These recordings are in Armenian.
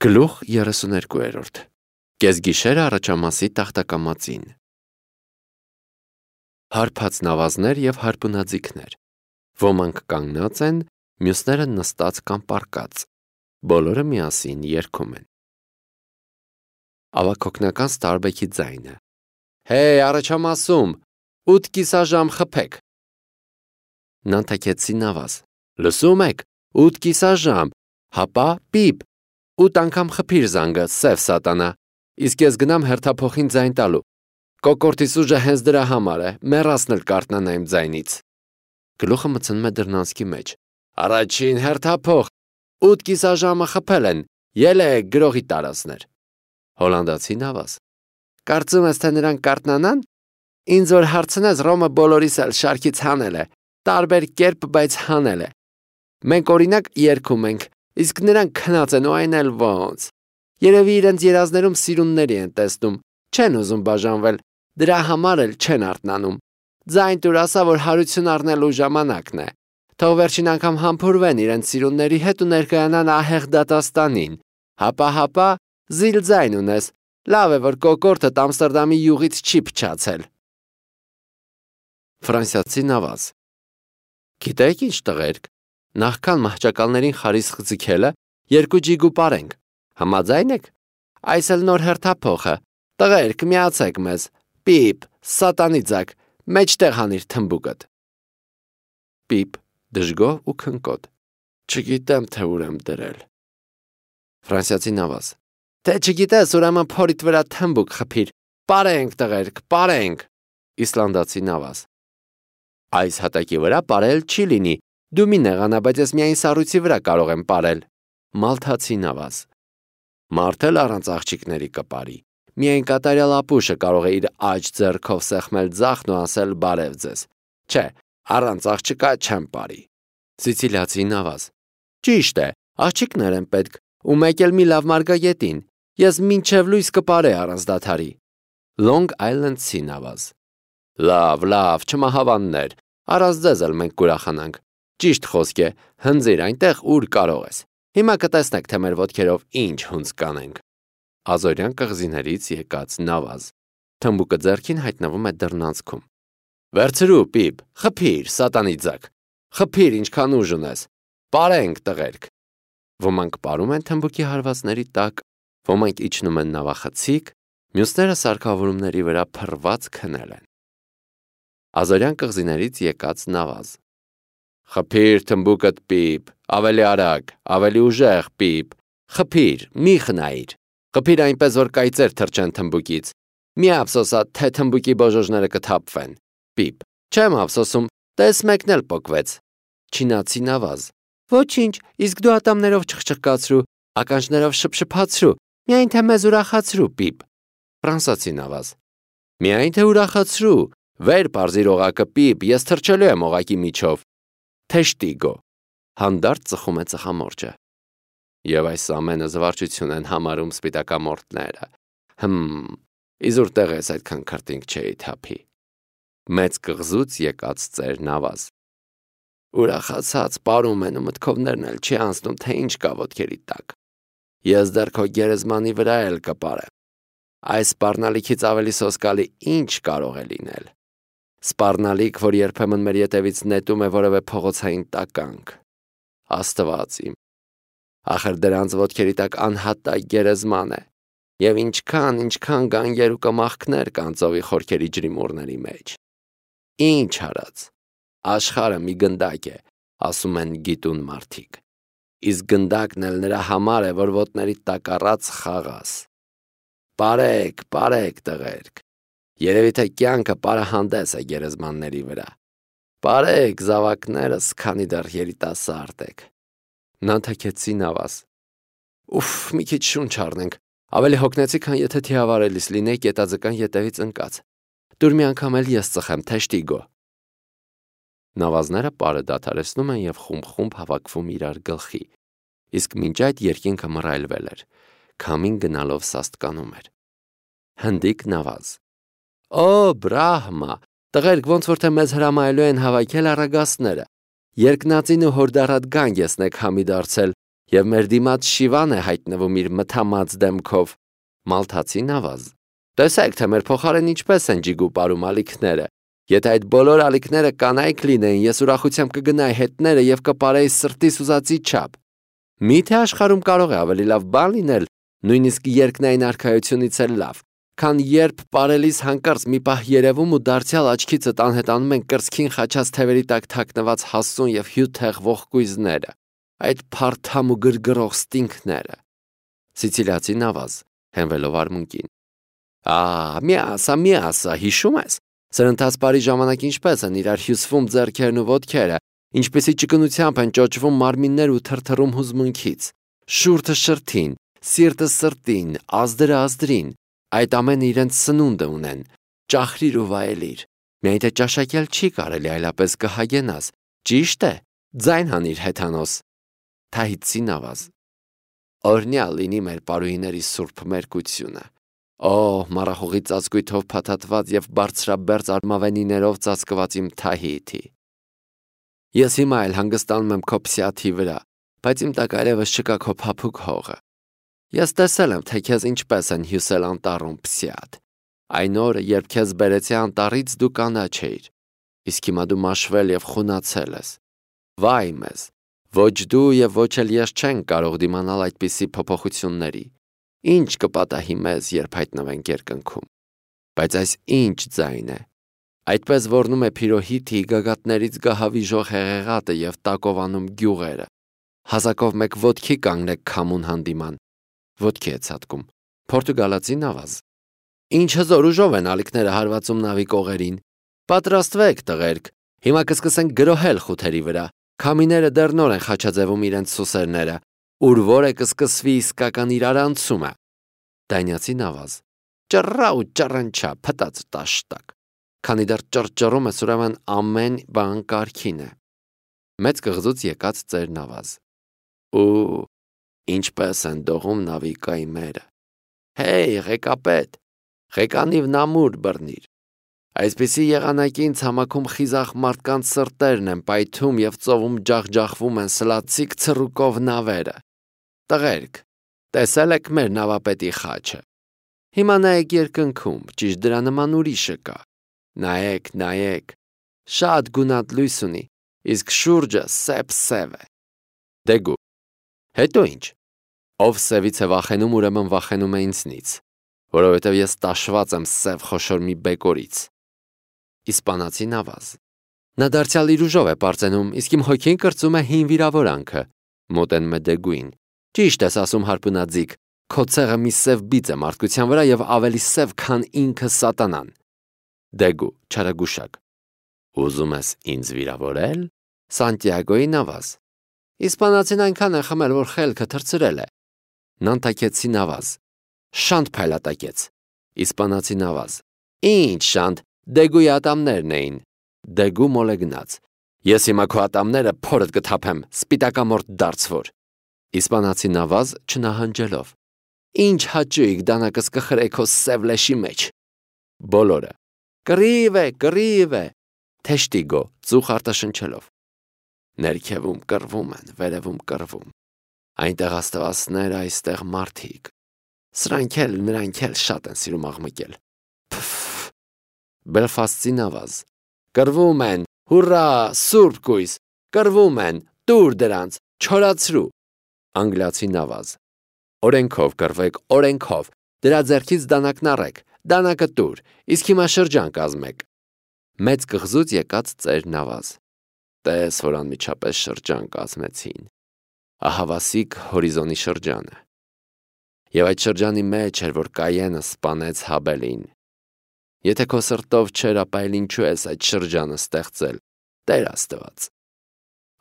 Գլուխ 32 Կեսգիշեր առաջամասի տախտակամածին Հարբած նավազներ և հարբունաձիգներ Ոմանք կանգնած են, մյուսները նստած կամ պառկած Բոլորը միասին երգում են Ավագօգնական Ստարբեքի ձայնը Հեյ առաջամասում, 8 կիսաժամ խփեք Նանտակեցի նավազ Լսում եք, 8 կիսաժամ, հապա պիպ 8 անգամ խփիր զանգը, սև սատանա, իսկ ես գնամ հերթափոխին ձայն տալու, կոկորտիս ուժը հենց դրա համար է, մեռասն էլ կարտնանա իմ ձայնից, գլուխը մտցնում է դռնանցքի մեջ, առաջին հերթափոխ, 8 կիսաժամը խփել են, ելեք գրողի տարածներ, հոլանդացի նավազ, կարծում ես թե նրանք կարտնանան, ինձ որ հարցնես Ռոմը բոլորիս էլ շարքից հանել է, տարբեր կերպ, բայց հանել է, մենք օրինակ երգում ենք, իսկ նրանք քնած են ու այն էլ ոնց, երևի իրենց երազներում սիրունների են տեսնում, չեն ուզում բաժանվել, դրա համար էլ չեն արթնանում, ձայն տուր ասա, որ հարություն առնելու ժամանակն է, թող վերջին անգամ համբուրվեն իրենց սիրունների հետ ու ներկայանան ահեղ դատաստանին, հապա, զիլ ձայն ունես, լավ է, որ կոկորտդ Ամստերդամի յուղից չի փչացել։ Ֆրանսիացի նավազ Գիտեք ինչ տղերք, նախքան մահճակալներին խարիսխ ձգելը, 2 ջիգու պարենք, համաձայն եք, այս էլ նոր հերթափոխը, տղերք միացեք մեզ, պիպ, սատանի ձակ, մեջտեղ հանիր թմբուկդ։ Պիպ, դժգոհ ու քնկոտ, չգիտեմ թե ուր եմ դրել։ Ֆրանսիացի նավազ, թե չգիտես ուրեմն փորիդ վրա թմբուկ խփիր, պարենք տղերք, պարենք։ Իսլանդացի նավազ, այս հատակի վրա պարել չի լինի, դու մի նեղանա, բայց ես միայն սառույցի վրա կարող եմ պարել։ Մալթացի նավազ, մարդ էլ առանց աղջիկների կպարի, միայն կատարյալ ապուշը կարող է իր աջ ձեռքով սեղմել ձախն ու ասել բարև ձեզ, չէ, առանց աղջկա չեմ պարի։ Սիցիլիացի նավազ, ճիշտ է, աղջիկներ են պետք, ու մեկ էլ մի լավ մարգագետին, ես մինչև լույս կպարե առանց դադարի։ Long Island-ի նավազ, լավ, չմահավաններ, առանց ձեզ էլ մենք կուրախանանք, ճիշտ խոսք է, հնձիր այնտեղ ուր կարող ես, հիմա կտեսնեք թե մեր ոտքերով ինչ հունձ կանենք։ Ազորյան կղզիներից եկած նավազ, թմբուկը ձեռքին հայտնվում է դռնանցքում։ Վերցրու պիպ, խփիր, սատանի ձակ, խփիր ինչքան ուժ ունես, պարենք տղերք։ Ոմանք պարում են թմբուկի հարվածների տակ, ոմանք իջնում են նավախցիկ, մյուսները սարքավորումների վրա փռված քնել են։ Ազորյան կղզիներից եկած նավազ Խփիր թմբուկդ պիպ, ավելի արագ, ավելի ուժեղ պիպ, խփիր, մի խնայիր, խփիր այնպես, որ կայծեր թռչեն թմբուկից, մի ափսոսա, թե թմբուկի բոժոժները կթափվեն, պիպ, չեմ ափսոսում, տես մեկն էլ պոկվեց, չինացի նավազ, ոչինչ, իսկ դու ատամներով չխչխկացրու, ականջներով շփշփացրու, միայն թե մեզ ուրախացրու, պիպ, ֆրանսացի նավազ, միայն թե ուրախացրու, վեր պարզիր օղակը պիպ, ես թռչելու եմ օղակի միջով, Թեշտիգո, հանդարտ ծխում է ծխամորճը։ Եվ այս ամենը զվարճություն են համարում սպիտակամորտները։ Իզուր տեղ ես այդքան քրտինք չէի թափի։ Մեծ կղզուց եկած ծեր նավազ։ Ուրախացած պարում են ու մտքովներն էլ չի անցնում, թե ինչ կա ոտքերի տակ։ Ես դեռ քո գերեզմանի վրա էլ կպարեմ։ Այս սպառնալիքից ավելի սոսկալի ինչ կարող է լինել։ Սպառնալիք, որ երբեմն մեր ետևից նետում է որևէ փողոցային տականք, Աստված իմ, ախր դրանց ոտքերի տակ անհատակ գերեզման է, և ինչքան գանգեր ու կմախքներ կան ծովի խորքերի ջրիմուռների մեջ, ինչ արած, աշխարհը մի գնդակ է, ասում են գիտուն մարդիկ, իսկ գնդակն էլ նրա համար է, որ ոտների տակ առած խաղաս, պարեք տղերք, երևի թե կյանքը պարահանդես է գերեզմանների վրա, պարեք զավակներս, քանի դեռ երիտասարդ եք։ Նանտակեցի նավազ, մի քիչ շունչ առնենք, ավելի հոգնեցի, քան եթե թիավարելիս լինեի կետաձկան ետևից ընկած, տուր մի անգամ էլ ես ծխեմ, թեշտիգո։ Նավազները պարը դադարեցնում են և խումբ հավաքվում իրար գլխի, իսկ մինչ այդ երկինքը մռայլվել էր, քամին գնալով սաստկանում էր։ Հնդիկ նավազ Բրահմա, տղերք ոնց որ թե մեզ հրամայելու են հավաքել առագաստները, երկնածին ու հորդառատ գանգ եսնեք համի դարձել, և մեր դիմաց Շիվան է հայտնվում իր մթամած դեմքով։ Մալթացին ավազ. Տեսեք, թե մեր փոխարեն ինչպես են ջիգու պարում ալիքները։ Եթե այդ բոլոր ալիքները կանայք լինեին, ես ուրախությամբ կգնայի հետները և կպարեի սրտիս ուզածի չափ։ Միթե աշխարհում կարող է ավելի լավ բան լինել, նույնիսկ երկնային արքայությունից էլ լավ, քան երբ պարելիս հանկարծ մի պահ երևում ու դարձյալ աչքիցդ անհետանում են կրծքին խաչած թևերի տակ թաքնված հասուն և հյութեղ ողկույզները, այդ փարթամ ու գրգռող ստինքները։ Սիցիլիացին ավազ, հենվելով արմունկին. մի ասա, հիշում ես։ Սրընթաց բարի ժամանակ ինչպես են իրար հյուսվում ձեռքերն ու ոտքերը, ինչպեսի ճկունությամբ են ճոճվում մարմիններ ու թրթռում հուզմունքից, շուրթը շրթին, սիրտը սրտին, ազդրը ազդրին, այդ ամենը իրենց սնունդը ունեն, ճախրիր ու վայելիր, միայն թե ճաշակել չի կարելի, այլապես կհագենաս, ճիշտ է, ձայն հանիր հեթանոս։ Թահիցին ավազ. օրհնյալ լինի մեր պարուհիների սուրբ մերկությունը։ Մառախուղի ծածկույթով փաթաթված և բարձրաբերձ արմավենիներով ծածկված իմ Թահիթի։ Ես հիմա էլ հանգստանում եմ քո փսյաթի վրա, բայց իմ տակ այլևս չկա քո փափուկ հողը։ Ես տեսել եմ, թե քեզ ինչպես են հյուսել անտառում, փսյաթ։ Այն օրը, երբ քեզ բերեցի անտառից, դու կանաչ էիր, իսկ հիմա դու մաշվել և խունացել ես։ Վայ մեզ, ոչ դու և ոչ էլ ես չենք կարող դիմանալ այդպիսի փոփոխությունների։ Ինչ կպատահի մեզ, երբ հայտնվենք երկնքում։ Բայց այս ինչ ձայն է։ Այդպես ոռնում է Փիրոհիթի գագաթներից գահավիժող հեղեղատը և տակովանում գյուղերը։ Հազակով մեկ ոտքի կանգնեք քամուն հանդիման։ Ոտքի է ցատկում։ Պորտուգալացին ավազ. Ինչ հզոր ուժով են ալիքները հարվածում նավի կողերին։ Պատրաստվեք, տղերք, հիմա կսկսենք գրոհել խութերի վրա։ Քամիները դեռ նոր են խաչաձևում իրենց սուսերները, ուր որը կսկսվի իսկական իրարանցումը։ Դանիացին ավազ. ճռա ու ճռնչա, փտած տաշտակ։ Քանի դեռ ճռճռում ես, ուրեմն ամեն բան կարգին է։ Մեծ կղզուց եկած ծերն ավազ. Ինչպես են դողում նավի կայմերը։ Հեյ, ղեկապետ, ղեկանիվ նամուր բռնիր։ Այսպիսի եղանակին ցամաքում խիզախ մարդկանց սրտերն են պայթում և ծովում ջախջախվում են սլացիկ ցռուկով նավերը։ Տղերք, տեսել եք մեր նավապետի խաչը։ Հիմա նայեք երկնքում, ճիշտ դրա նման ուրիշը կա։ Նայեք, շատ գունատ լույս ունի, իսկ շուրջը սև է։ Դեգու, հետո ինչ։ Ով սևից է վախենում, ուրեմն վախենում է ինձնից, որովհետև ես տաշված եմ սև խոշոր մի բեկորից։ Իսպանացին ավազ. Նա դարձյալ իր ուժով է պարծենում, իսկ իմ հոգին կրծում է հին վիրավորանքը։ Մոտենում է Դեգուին. Ճիշտ ես ասում, հարբունաձիգ, քո ցեղը մի սև բիծ է մարդկության վրա և ավելի սև, քան ինքը սատանան։ Դեգու, չարագուշակ. Ուզում ես ինձ վիրավորել։ Սանտիագոյին ավազ. Իսպանացին այնքան է խմել, որ խելքը թռցրել է։ Նանտակեցին ավազ. Շանտ փայլատակեց։ Իսպանացին ավազ. Ինչ շանտ, Դեգուի ատամներն էին։ Դեգու մոլեգնաց. Ես հիմա քո ատամները փորդ կթափեմ, սպիտակամորթ դարձվոր։ Իսպանացին ավազ չնահանջելով. Ինչ հաճույք դանակս կխրեի քո սև լեշի մեջ։ Բոլորը. Կռիվ է, թեշտիգո, ծուխ արտաշնչելով։ Ներքևում կռվում են, վերևում կռվում։ Այնտեղ աստվածներ, այստեղ մարդիկ։ Նրանք էլ շատ են սիրում աղմկել։ Բելֆաստցին ավազ. Կռվում են, հուրրա, սուրբ կույս, կռվում են, տուր դրանց, չորացրու։ Անգլիացին ավազ. Օրենքով կռվեք, օրենքով, դրա ձեռքից դանակն առեք, դանակը տուր, իսկ հիմա շրջան կազմեք։ Մեծ կղզուց եկած ծերն ավազ. Տես, որ անմիջապես շրջան կազմեցին։ Ահավասիկ հորիզոնի շրջանը։ Եվ այդ շրջանի մեջ էր, որ Կայենը սպանեց Հաբելին։ Եթե քո սրտով չէր, ապա էլ ինչու ես այդ շրջանը ստեղծել, Տեր Աստված։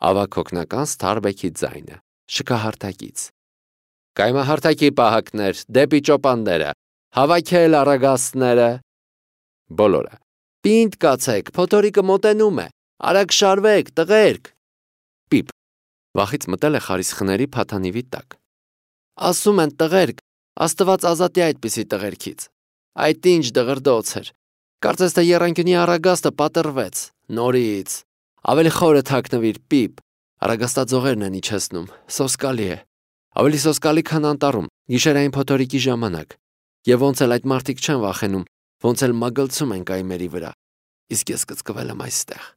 Ավագ հոգնական Սթարբեքի ձայնը, շքահարթակից։ Կայմահարթակի պահակներ, դեպի ճոպանները, հավաքել առագաստները։ Բոլորը. Պինդ կացեք, փոթորիկը մոտենում է, արագ շարվեք, տղերք։ Պիպ. Վախից մտել է խարիսխների փաթանիվի տակ։ Ասում են տղերք, Աստված ազատի այդպիսի տղերքից։ Այդ ինչ դղրդոց էր։ Կարծես թե եռանկյունի առագաստը պատռվեց, նորից։ Ավելի խորը թաքնվիր, Պիպ։ Առագաստաձողերն են իջեցնում, սոսկալի է։ Ավելի սոսկալի, քան անտառում, գիշերային փոթորիկի ժամանակ։ Եվ ոնց էլ այդ մարդիկ չեն վախենում, ոնց էլ մագլցում են կայմերի վրա։ Իսկ ես կծկվել եմ այստեղ։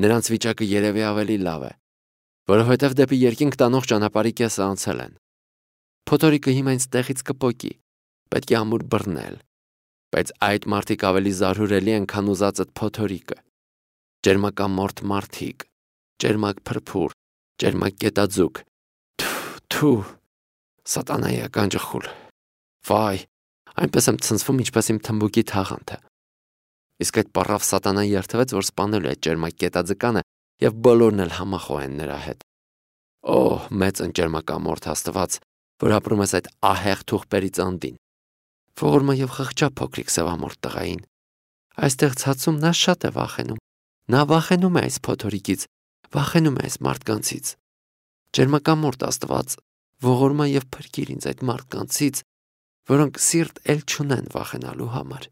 Նրանց վիճակը երևի ավելի լավ է, որովհետև դեպի երկինք տանող ճանապարհի կեսը անցել են։ Փոթորիկը հիմա ինձ տեղից կպոկի, պետք է ամուր բռնել, բայց այդ մարդիկ ավելի զարհուրելի են, քան ուզածդ փոթորիկը։ Ջերմակամորթ մարդիկ, ջերմակ փրփուր, ջերմակ կետաձուկ։ Թու, սատանայի ականջը խուլ։ Վայ, այնպես եմ ցնցվում, ինչպես իմ թմբուկի թաղանթը։ Իսկ այդ պառավ սատանան երթվեց, որ սպանելու է ջերմակ կետաձկանը եւ բոլորն էլ համախոհ են նրա հետ։ Օհ, մեծ ընջերմակամորթ Աստված, որ ապրում ես այդ ահեղ թուղպերից անդին։ Ողորմա եւ խղճա փոքրիկ սևամորթ տղային։ Այստեղ ցածում նա շատ է վախենում։ Նա վախենում է այս փոթորիկից, վախենում է այս մարդկանցից։ Ջերմակամորթ Աստված, ողորմա եւ փրկիր ինձ այդ մարդկանցից, որոնք սիրտ էլ չունեն վախենալու համար։